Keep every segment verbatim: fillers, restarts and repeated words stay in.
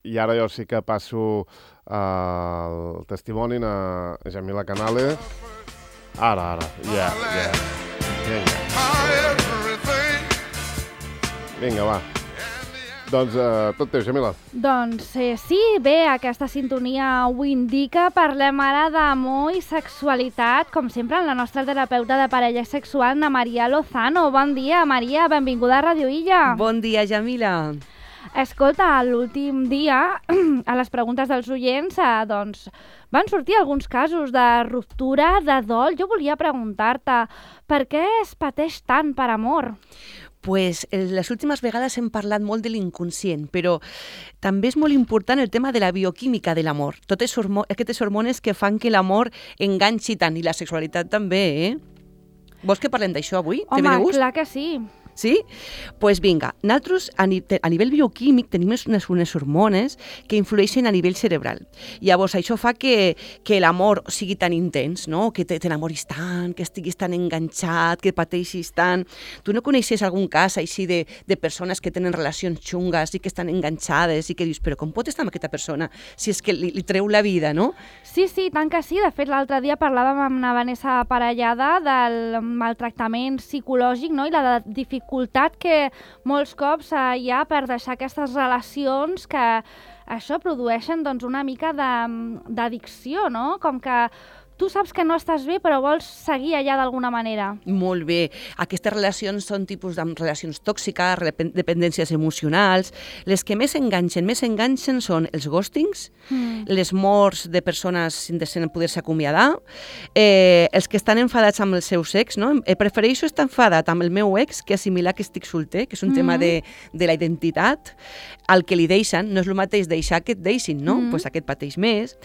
I ara jo sí que passo el testimoni a Jamila Canales. Ara, ara, ja, ja. Vinga. Vinga, va. Doncs eh, tot teu, Jamila. Doncs eh, sí, bé, aquesta sintonia ho indica. Parlem ara d'amor i sexualitat, com sempre, amb la nostra terapeuta de parella sexual, Ana Maria Lozano. Bon dia, Maria, benvinguda a Radio Illa. Bon dia, Jamila. Escolta, l'últim dia, a les preguntes dels oients, eh, doncs, van sortir alguns casos de ruptura, de dol. Jo volia preguntar-te, per què es pateix tant per amor? Pues les últimes vegades hem parlat molt de l'inconscient, però també és molt important el tema de la bioquímica de l'amor. Totes aquestes hormones que fan que l'amor enganxi tant, i la sexualitat també, eh? Vols que parlem d'això avui? Home, clar que sí. Sí? Doncs pues vinga, nosaltres a, ni a nivell bioquímic tenim unes, unes hormones que influeixen a nivell cerebral. Llavors això fa que, que l'amor sigui tan intens, no? Que t'enamoris tant, que estiguis tan enganxat, que pateixis tant. Tu no coneixes algun cas així de, de persones que tenen relacions xungues i que estan enganxades i que dius, però com pot estar amb aquesta persona si és que li, li treu la vida, no? Sí, sí, tant que sí. De fet, l'altre dia parlàvem amb la Vanessa Parellada del maltractament psicològic, no? I la dificultat que molts cops eh, hi ha per deixar aquestes relacions que això produeixen doncs, una mica d'addicció, no? Com que tu saps que no estàs bé, però vols seguir allà d'alguna manera. Molt bé. Aquestes relacions són tipus de relacions tòxiques, dependències emocionals. Les que més enganxen, més enganxen són els ghostings, mm. les morts de persones sense poder-se acomiadar, eh, els que estan enfadats amb els seus ex, no? Eh, prefereixo estar enfadat amb el meu ex que assimilar que estic solter, que és un mm. tema de, de la identitat. El que li deixen, no és el mateix deixar que et deixin, no? Mm. Pues aquest pateix més.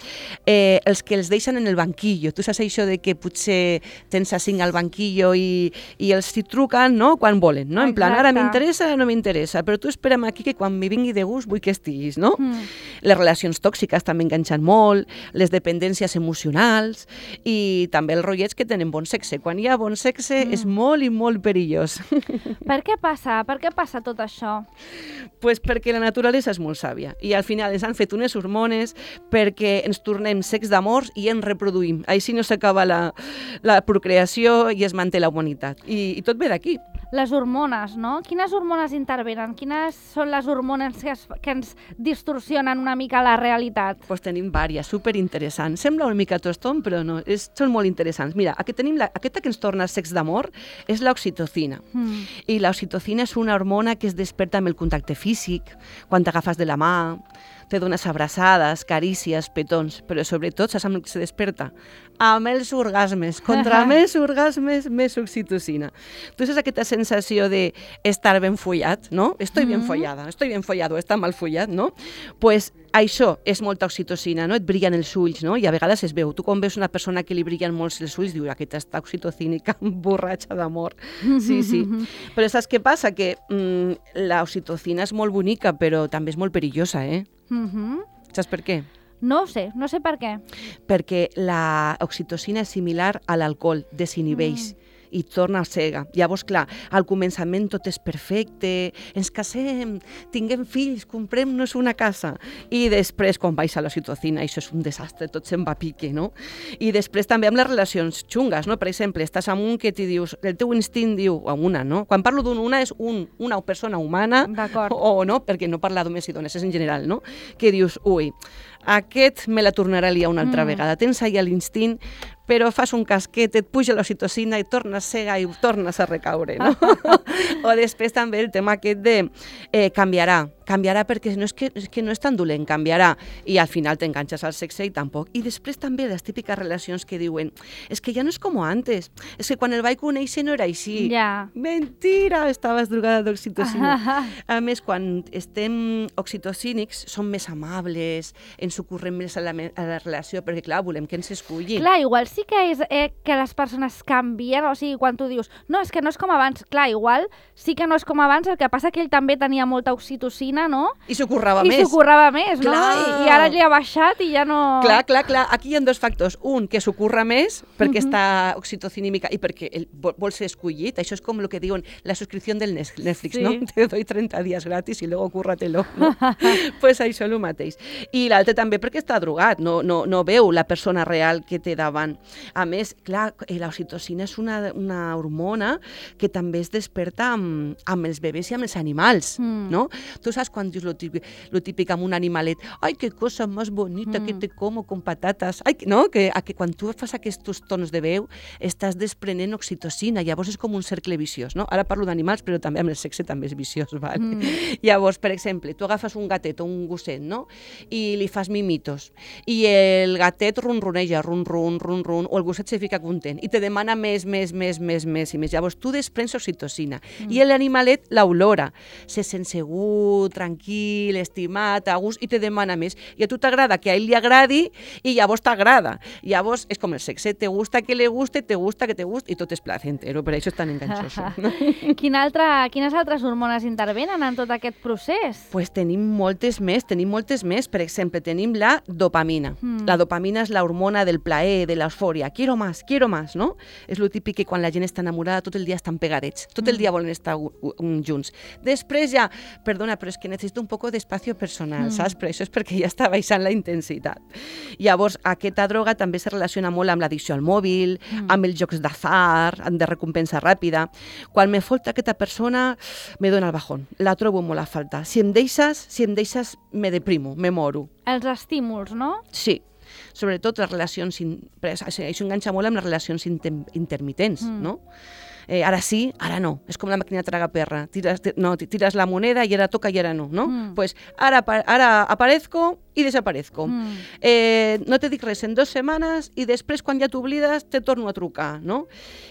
Eh, els que els deixen en el banquillo. Tu saps això de que potser tens a cinc al banquillo i, i els hi truquen, no?, quan volen, no? En plan, ara m'interessa, no m'interessa, però tu espera'm aquí que quan m'hi vingui de gust vull que estiguis, no? Mm. Les relacions tòxiques també enganxen molt, les dependències emocionals i també els rotllets que tenen bon sexe. Quan hi ha bon sexe mm. és molt i molt perillós. Per què passa? Per què passa tot això? Pues perquè la naturalesa és molt sàvia i al final ens han fet unes hormones perquè ens tornem secs d'amors i ens reproduïm. Així no s'acaba la, la procreació i es manté la humanitat. I, i tot ve d'aquí. Les hormones, no? Quines hormones intervenen? Quines són les hormones que, es, que ens distorsionen una mica la realitat? Pues tenim vàries, superinteressants. Sembla una mica toston, però no, és, són molt interessants. Mira, aquí tenim la, aquesta que ens torna secs d'amor és l'oxitocina. Mm. I l'oxitocina és una hormona que es desperta amb el contacte físic, quan t'agafes de la mà, te dones abraçades, carícies, petons, però sobretot saps amb el que se desperta? Amb els orgasmes. Contra més orgasmes, més oxitocina. Tu saps aquesta sensació d'estar ben follat, no? Estoy bien follada, estoy bien follado, està mal follat, no? Pues això és molta oxitocina, no? Et brillen els ulls, no? I a vegades es veu. Tu quan veus una persona que li brillen molts els ulls, dius, aquesta està oxitocínica, borratxa d'amor. Sí, sí. Però saps què passa? Que mm, l'oxitocina és molt bonica, però també és molt perillosa, eh? Mm-hmm. Saps per què? No ho sé, no sé per què. Perquè la oxitocina és similar a l'alcohol, desinhibeix. Mm. I torna cega. Llavors, clar, al començament tot és perfecte, ens casem, tinguem fills, comprem-nos una casa. I després, quan baixa l'oxitocina, això és un desastre, tot se'n va a pique, no? I després també amb les relacions xungues, no? Per exemple, estàs amb un que t'hi dius, el teu instint diu, amb una, no? Quan parlo d'un una és un, una persona humana, o no, perquè no parla d'homes i dones, és en general, no? Que dius, ui, aquest me la tornarà a liar una altra mm. vegada. Tens allà l'instint, però fas un casquet, et puja l'oxitocina i tornes cega i tornes a recaure, no? O després també el tema aquest de eh, canviarà, canviarà perquè no és, que, és que no és tan dolent, canviarà, i al final t'enganxes al sexe i tampoc. I després també les típiques relacions que diuen, és que ja no és com antes, és que quan el vaig conèixer no era així. Ja. Mentira, estaves drogada d'oxitocina. A més, quan estem oxitocínics, som més amables, ens ocorrem més a la, a la relació, perquè clar, volem que ens esculli. Clar, igual sí que és eh, que les persones canvien, o sigui, quan tu dius, no, és que no és com abans, clar, igual sí que no és com abans, el que passa que ell també tenia molta oxitocina, no? I s'ho currava I més. I s'ho currava més, clar. no? I, I ara li ha baixat i ja no... Clar, clar, clar. Aquí hi ha dos factors. Un, que s'ho curra més perquè uh -huh. està oxitocinímica i perquè ell vol, vol ser escollit. Això és com el que diuen la subscripció del Netflix, sí. no? Te doy trenta días gratis i luego cúrratelo, no? Pues això és el mateix. I l'altre també perquè està drogat, no, no, no veu la persona real que té davant. A més, clar, l'oxitocina és una, una hormona que també es desperta amb, amb els bebès i amb els animals, mm. no? Tu saps quan dius lo típic, lo típic amb un animalet, ai, que cosa més bonita mm. que te como con patates, ai, no? Que, a que quan tu fas aquests tons de veu estàs desprenent oxitocina, llavors és com un cercle viciós, no? Ara parlo d'animals, però també amb el sexe també és viciós, vale? Mm. Llavors, per exemple, tu agafes un gatet o un gosset, no? I li fas mimitos, i el gatet ronroneja, ron, ron, ron, ron, o el gosset se fica content, i te demana més, més, més, més, més i més. Llavors tu desprens oxitocina, mm. i l'animalet l'olora, se sent segur, tranquil, estimat, a gust, i te demana més. I a tu t'agrada que a ell li agradi, i llavors t'agrada. Llavors és com el sexe, te gusta que le guste, te gusta que te guste, i tot és placentero, per això és tan enganxoso. No? Quin altre, quines altres hormones intervenen en tot aquest procés? Pues tenim moltes més, tenim moltes més. Per exemple, tenim la dopamina. Mm. La dopamina és la hormona del plaer, de l'eufòria. Quiero más, quiero más, no? És lo típic que quan la gent està enamorada tot el dia estan pegadets, tot el dia volen estar junts. Després ja, perdona, però és que necessito un poc d'espai personal, mm. saps? Però això és perquè ja està baixant la intensitat. Llavors, aquesta droga també se relaciona molt amb l'addicció al mòbil, mm. amb els jocs d'azar, de recompensa ràpida. Quan me falta aquesta persona, me dona el bajón. La trobo molt a falta. Si em deixes, si em deixes, me deprimo, me moro. Els estímuls, no? Sí. Sobretot les relacions, in... això enganxa molt amb les relacions inter... intermitents, mm. no? Eh, ara sí, ara no. És com la màquina tragaperra. Tires, no, tires la moneda i ara toca i ara no, no? Mm. Pues ara, ara aparezco i desaparezco. Mm. Eh, no te dic res en dues setmanes i després, quan ja t'oblides, te torno a trucar, no?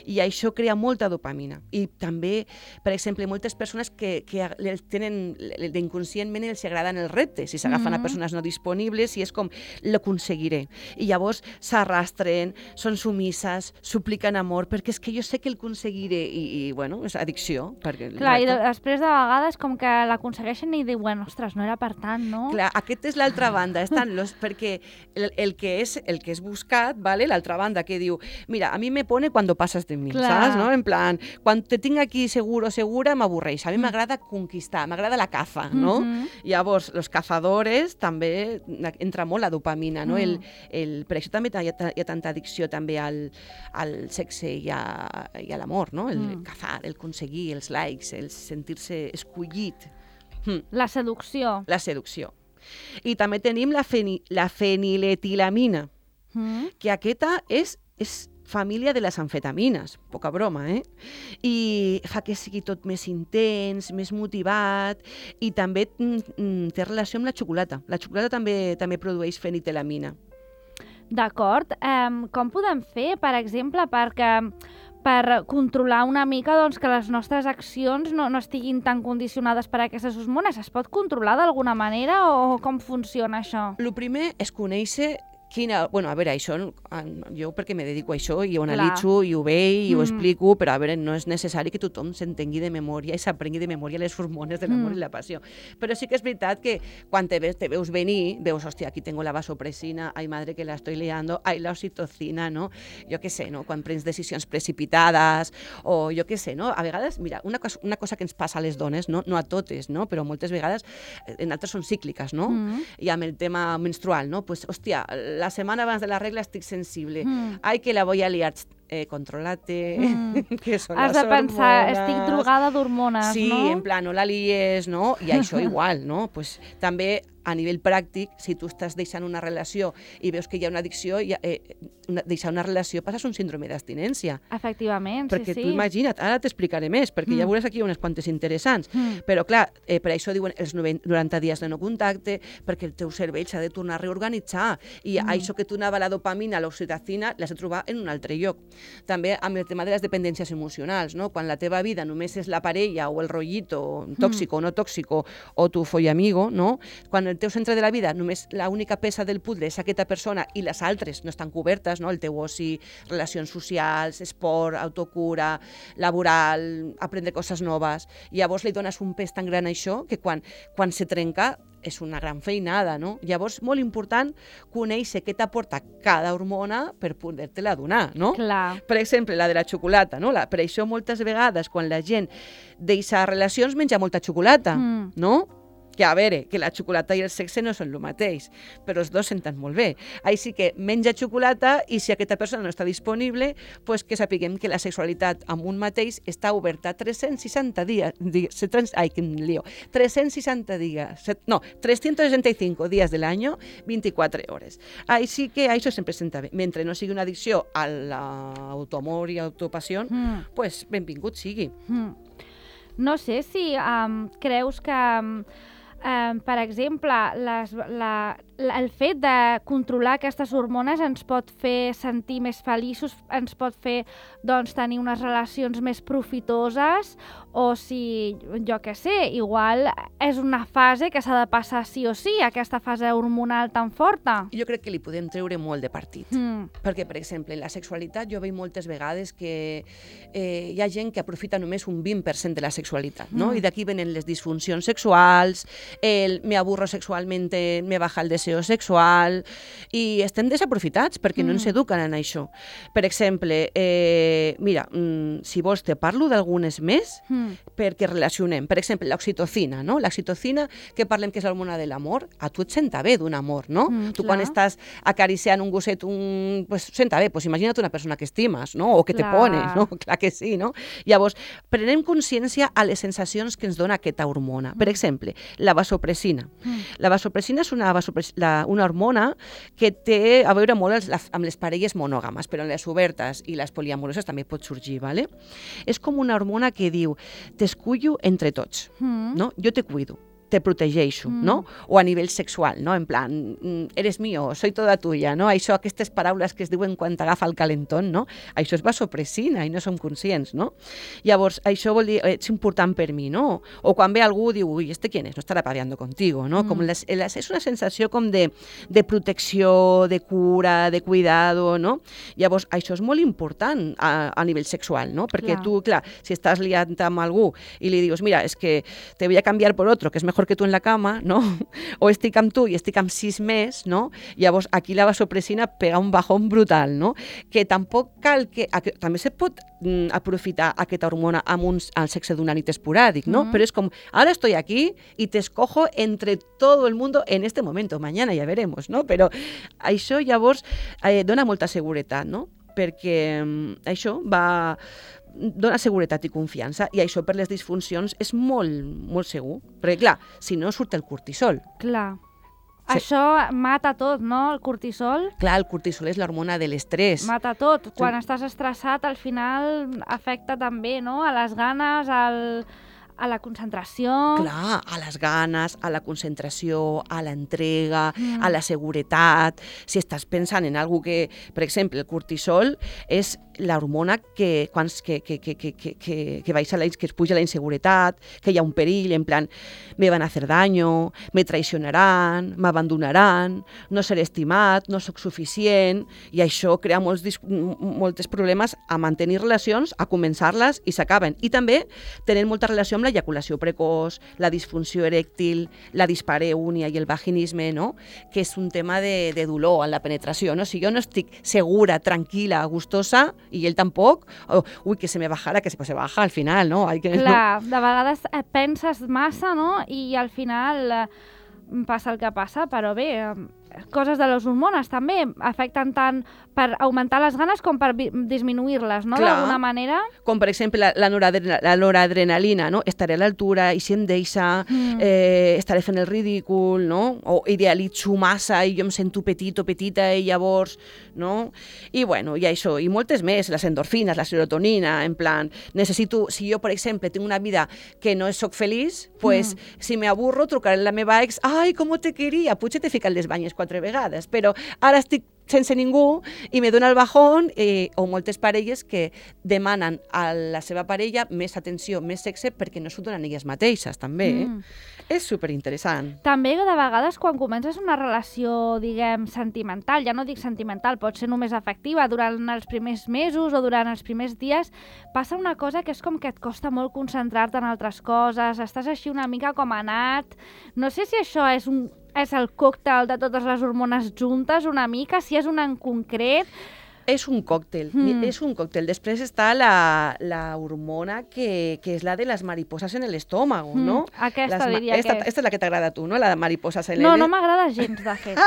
I això crea molta dopamina. I també, per exemple, moltes persones que, que tenen, inconscientment els agraden els reptes i s'agafen mm. a persones no disponibles i és com, l'aconseguiré. I llavors s'arrastren, són sumisses, supliquen amor, perquè és que jo sé que el aconseguiré i, i bueno, és addicció. Perquè, clar, i de, després de vegades com que l'aconsegueixen i diuen, ostres, no era per tant, no? Clar, aquest és l'altra banda, estan los, perquè el, el, que és, el que és buscat, ¿vale? L'altra banda que diu, mira, a mi me pone cuando pasas de mi, clar. Saps? No? En plan, quan te tinc aquí seguro o segura, m'avorreix. A mi m'agrada conquistar, m'agrada la caza, no? Mm-hmm. Llavors, los cazadores també entra molt la dopamina, no? Mm. El, el, per això també hi ha, hi ha tanta addicció també al, al sexe i a, i a l'amor, no? El mm. cazar, el aconseguir, els likes, el sentir-se escollit. Mm. La seducció. La seducció. I també tenim la, feni, la feniletilamina, mm. que aquesta és, és família de les amfetamines, poca broma, eh? I fa que sigui tot més intens, més motivat, i també mm, té relació amb la xocolata. La xocolata també, també produeix fenitilamina. D'acord. Um, com podem fer, per exemple, perquè per controlar una mica doncs, que les nostres accions no, no estiguin tan condicionades per aquestes hormones? Es pot controlar d'alguna manera o com funciona això? El primer és conèixer quina... Bueno, a veure, això, jo perquè me dedico a això i ho analitzo i ho veig i mm. ho explico, però a veure, no és necessari que tothom s'entengui de memòria i s'aprengui de memòria les hormones de l'amor mm. i la passió. Però sí que és veritat que quan te, ves, te veus venir, veus, hòstia, aquí tengo la vasopresina, ai madre que la estoy liando, ai la oxitocina, no? Jo què sé, no? Quan prens decisions precipitades o jo què sé, no? A vegades, mira, una cosa, una cosa que ens passa a les dones, no, no a totes, no? Però moltes vegades, en altres són cícliques, no? Mm. I amb el tema menstrual, no? Pues, hòstia, la setmana abans de la regla estic sensible. Mm. Ai, que la voy a liar. Eh, controlate, mm. que són Has les de pensar, hormones. Estic drogada d'hormones, sí, no? Sí, en plan, no la lies, no? I això igual, no? Pues, també a nivell pràctic, si tu estàs deixant una relació i veus que hi ha una addicció, ja, eh, una, deixar una relació passes un síndrome d'abstinència. Efectivament, perquè sí, sí. Perquè tu imagina't, ara t'explicaré més, perquè mm. ja veuràs aquí unes quantes interessants. Mm. Però clar, eh, per això diuen els noranta dies de no contacte, perquè el teu cervell s'ha de tornar a reorganitzar. I mm. això que tu anava la dopamina, l'oxitocina, l'has de trobar en un altre lloc. També amb el tema de les dependències emocionals, no? Quan la teva vida només és la parella o el rotllito, tòxico o mm. no tòxico, o tu follamigo, no? Quan el teu centre de la vida només l'única peça del puzzle és aquesta persona i les altres no estan cobertes, no? El teu oci, relacions socials, esport, autocura, laboral, aprendre coses noves. I llavors li dones un pes tan gran a això que quan, quan se trenca és una gran feinada, no? Llavors, molt important conèixer què t'aporta cada hormona per poder-te-la donar, no? Clar. Per exemple, la de la xocolata, no? La, per això moltes vegades quan la gent deixa relacions menja molta xocolata, mm. no? Que a veure, que la xocolata i el sexe no són el mateix, però els dos senten molt bé. Així que menja xocolata i si aquesta persona no està disponible, pues que sapiguem que la sexualitat amb un mateix està oberta tres-cents seixanta dies, ai, quin lío, tres-cents seixanta dies, no, trescientos sesenta y cinco días del año, vint-i-quatre hores. Així que això sempre senta bé. Mentre no sigui una addicció a l'autoamor i autopassió, mm. pues benvingut sigui. Mm. No sé si um, creus que... Um, Um, per exemple, les, la, la, el fet de controlar aquestes hormones ens pot fer sentir més feliços, ens pot fer doncs, tenir unes relacions més profitoses, o si, jo què sé, igual és una fase que s'ha de passar sí o sí, aquesta fase hormonal tan forta. Jo crec que li podem treure molt de partit. Mm. Perquè, per exemple, en la sexualitat jo veig moltes vegades que eh, hi ha gent que aprofita només un vint per cent de la sexualitat, no? Mm. I d'aquí venen les disfuncions sexuals, el me aburro sexualmente, me baja el deseo sexual, i estem desaprofitats perquè mm. no ens eduquen en això. Per exemple, eh, mira, mm, si vols te parlo d'algunes més mm. perquè relacionem. Per exemple, l'oxitocina, no? L'oxitocina, que parlem que és l'hormona de l'amor, a tu et senta bé d'un amor, no? Mm, tu clar. Quan estàs acariciant un gosset, un... pues senta bé, pues imagina't una persona que estimes, no? O que clar. Te pones, no? Clar que sí, no? Llavors, prenem consciència a les sensacions que ens dona aquesta hormona. Mm. Per exemple, la vasopressina. Mm. La vasopressina és una, vasopres... la, una hormona que té a veure molt els, la, amb les parelles monògames, però en les obertes i les poliamoroses també pot sorgir, ¿vale? És com una hormona que diu t'escullo entre tots, mm. no? Jo te cuido, te protegeixo, mm. no? O a nivell sexual, no? En plan, eres mío, soy toda tuya, no? Això, aquestes paraules que es diuen quan t'agafa el calentón, no? Això és vasopressina i no som conscients, no? Llavors, això vol dir, és important per mi, no? O quan ve algú diu, ui, este quién es? No estarà paviando contigo, no? Mm. Com les, les, és una sensació com de, de protecció, de cura, de cuidado, no? Llavors, això és molt important a, a nivell sexual, no? Perquè clar. Tu, clar, si estàs liant amb algú i li dius, mira, és que te voy a cambiar por otro, que és mejor que tu en la cama, no? O estic amb tu i estic amb sis més, no? Llavors, aquí la vasopressina pega un bajón brutal, no? Que tampoc cal que... A, també se pot mm, aprofitar aquesta hormona amb un al sexe d'una nit esporàdic, no? Mm-hmm. Però és com, ara estoy aquí y te escojo entre todo el mundo en este momento, mañana ya veremos, no? Però això llavors eh, dona molta seguretat, no? Perquè mm, això va... dona seguretat i confiança, i això per les disfuncions és molt, molt segur. Perquè, clar, si no surt el cortisol. Clar. Sí. Això mata tot, no?, el cortisol. Clar, el cortisol és l'hormona de l'estrès. Mata tot. Quan sí. estàs estressat, al final afecta també, no?, a les ganes, al... a la concentració... Clar, a les ganes, a la concentració, a l'entrega, mm. a la seguretat. Si estàs pensant en algo que... Per exemple, el cortisol és l'hormona que, quan, que, que, que, que, que, que, baixa la, que es puja la inseguretat, que hi ha un perill, en plan, me van a hacer daño, me traicionaran, m'abandonaran, no seré estimat, no sóc suficient, i això crea molts, molts problemes a mantenir relacions, a començar-les i s'acaben. I també tenen molta relació amb l'ejaculació precoç, la disfunció erèctil, la dispareunia i el vaginisme, no? Que és un tema de, de dolor en la penetració, no? Si jo no estic segura, tranquil·la, gustosa, i ell tampoc, oh, ui, que se me bajara, que se, pues se baja al final, no? Hay que, clar, no? De vegades penses massa, no? I al final eh, passa el que passa, però bé, eh, coses de les hormones també afecten tant per augmentar les ganes com per disminuir-les, no? D'alguna manera. Com, per exemple, la, la, noradre la noradrenalina, no? Estaré a l'altura i si em deixa, mm. eh, estaré fent el ridícul, no? O idealitzo massa i jo em sento petit o petita i llavors, no? I, bueno, i això, i moltes més, les endorfines, la serotonina, en plan, necessito, si jo, per exemple, tinc una vida que no soc feliç, pues, mm. si me aburro, trucaré a la meva ex, ai, com te queria, potser t'he ficat les banyes quatre vegades, però ara estic sense ningú i me dona el bajón, eh, o moltes parelles que demanen a la seva parella més atenció, més sexe, perquè no s'ho donen elles mateixes, també. Eh? Mm. És superinteressant. També, de vegades, quan comences una relació, diguem, sentimental, ja no dic sentimental, pot ser només afectiva, durant els primers mesos o durant els primers dies, passa una cosa que és com que et costa molt concentrar-te en altres coses, estàs així una mica com anat. No sé si això és un és el còctel de totes les hormones juntes, una mica, si és una en concret. És un còctel, mm. és un còctel. Després està la, la hormona que, que és la de les mariposas en l'estómago, mm. no? Aquesta les, diria esta, que és. Esta és la que t'agrada a tu, no? La de mariposas en No, l'estómago. no m'agrada gens, de fet.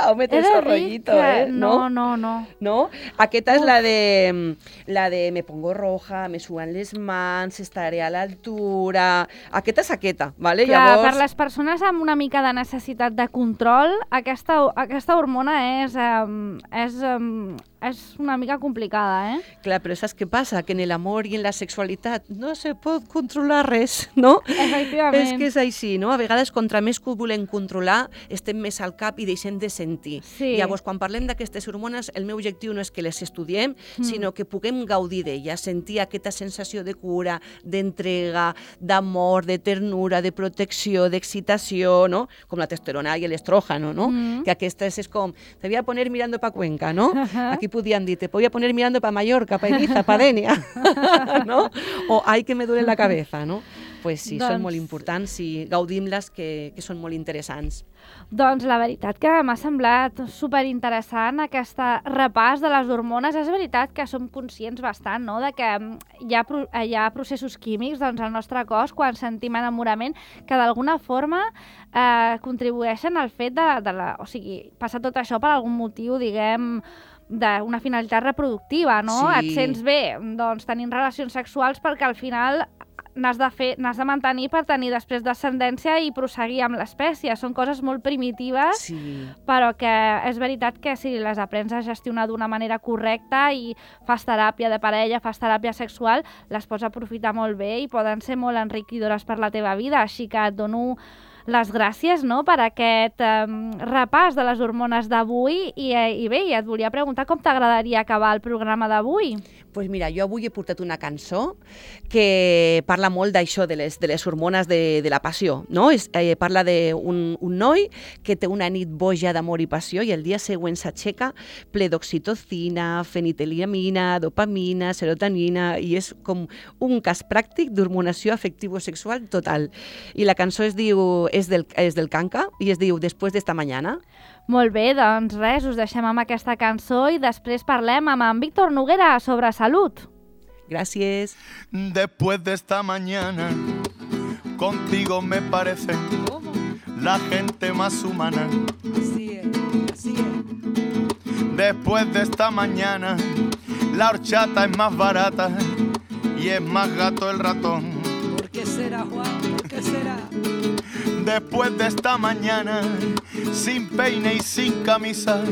Home, tens el rollito, que... eh? No, no, no. No? Aquesta és la de, la de me pongo roja, me suan les mans, estaré a l'altura... Aquesta és aquesta, ¿vale? Clar, Llavors... per les persones amb una mica de necessitat de control, aquesta, aquesta hormona és... Um, és um, és una mica complicada, eh? Clar, però saps què passa? Que en l'amor i en la sexualitat no se pot controlar res, no? Efectivament. És que és així, no? A vegades, contra més que ho volem controlar, estem més al cap i deixem de sentir. Sí. Llavors, quan parlem d'aquestes hormones, el meu objectiu no és que les estudiem, mm. sinó que puguem gaudir d'elles, sentir aquesta sensació de cura, d'entrega, d'amor, de ternura, de protecció, d'excitació, no? Com la testosterona i l'estrógeno, no? Mm. Que aquestes és com, te voy a poner mirando pa Cuenca, no? Aquí podían dir, te voy a poner mirando pa Mallorca, pa Ibiza, pa Denia, no? O ai que me duele la cabeza, no? Pues sí, doncs... són molt importants i gaudim-les, que, que són molt interessants. Doncs la veritat que m'ha semblat superinteressant aquest repàs de les hormones. És veritat que som conscients bastant, no?, de que hi ha, hi ha processos químics doncs, al nostre cos quan sentim enamorament que d'alguna forma eh, contribueixen al fet de, de la... O sigui, passa tot això per algun motiu, diguem, d'una finalitat reproductiva, no? Sí. Et sents bé, doncs, tenint relacions sexuals perquè al final n'has de fer, n'has de mantenir per tenir després descendència i prosseguir amb l'espècie. Són coses molt primitives, sí. però que és veritat que si les aprens a gestionar d'una manera correcta i fas teràpia de parella, fas teràpia sexual, les pots aprofitar molt bé i poden ser molt enriquidores per la teva vida. Així que et dono les gràcies, no?, per aquest um, repàs de les hormones d'avui i, i bé, et volia preguntar com t'agradaria acabar el programa d'avui. Doncs pues mira, jo avui he portat una cançó que parla molt d'això, de les, de les hormones de, de la passió, no? Es, eh, parla d'un un noi que té una nit boja d'amor i passió i el dia següent s'aixeca ple d'oxitocina, fenitilamina, dopamina, serotonina, i és com un cas pràctic d'hormonació afectivo-sexual total. I la cançó es diu és del, és del Kanka i es diu Después de esta mañana. Molt bé, doncs res, us deixem amb aquesta cançó i després parlem amb en Víctor Noguera sobre salut. Gracias. Después de esta mañana, contigo me parece ¿Cómo? La gente más humana. Así es, así es. Después de esta mañana, la horchata es más barata y es más gato el ratón. ¿Por qué será, Juan? ¿Por qué será? Después de esta mañana, sin peine y sin camisa,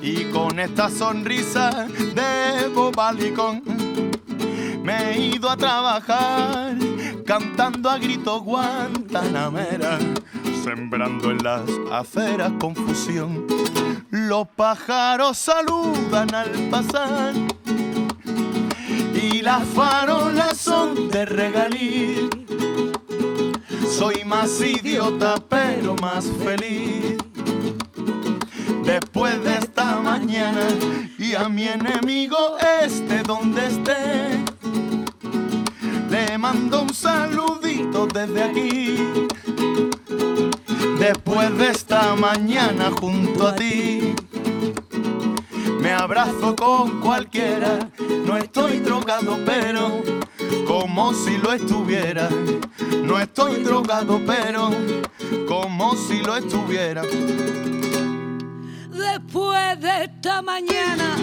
y con esta sonrisa de bobalicón, me he ido a trabajar cantando a grito guantanamera, sembrando en las aceras confusión. Los pájaros saludan al pasar y las farolas son de regalí. Soy más idiota pero más feliz después de esta mañana, y a mi enemigo este donde esté le mando un saludito desde aquí. Después de esta mañana junto a ti me abrazo con cualquiera, no estoy drogado pero como si lo estuviera. No estoy drogado, pero como si lo estuviera. Después de esta mañana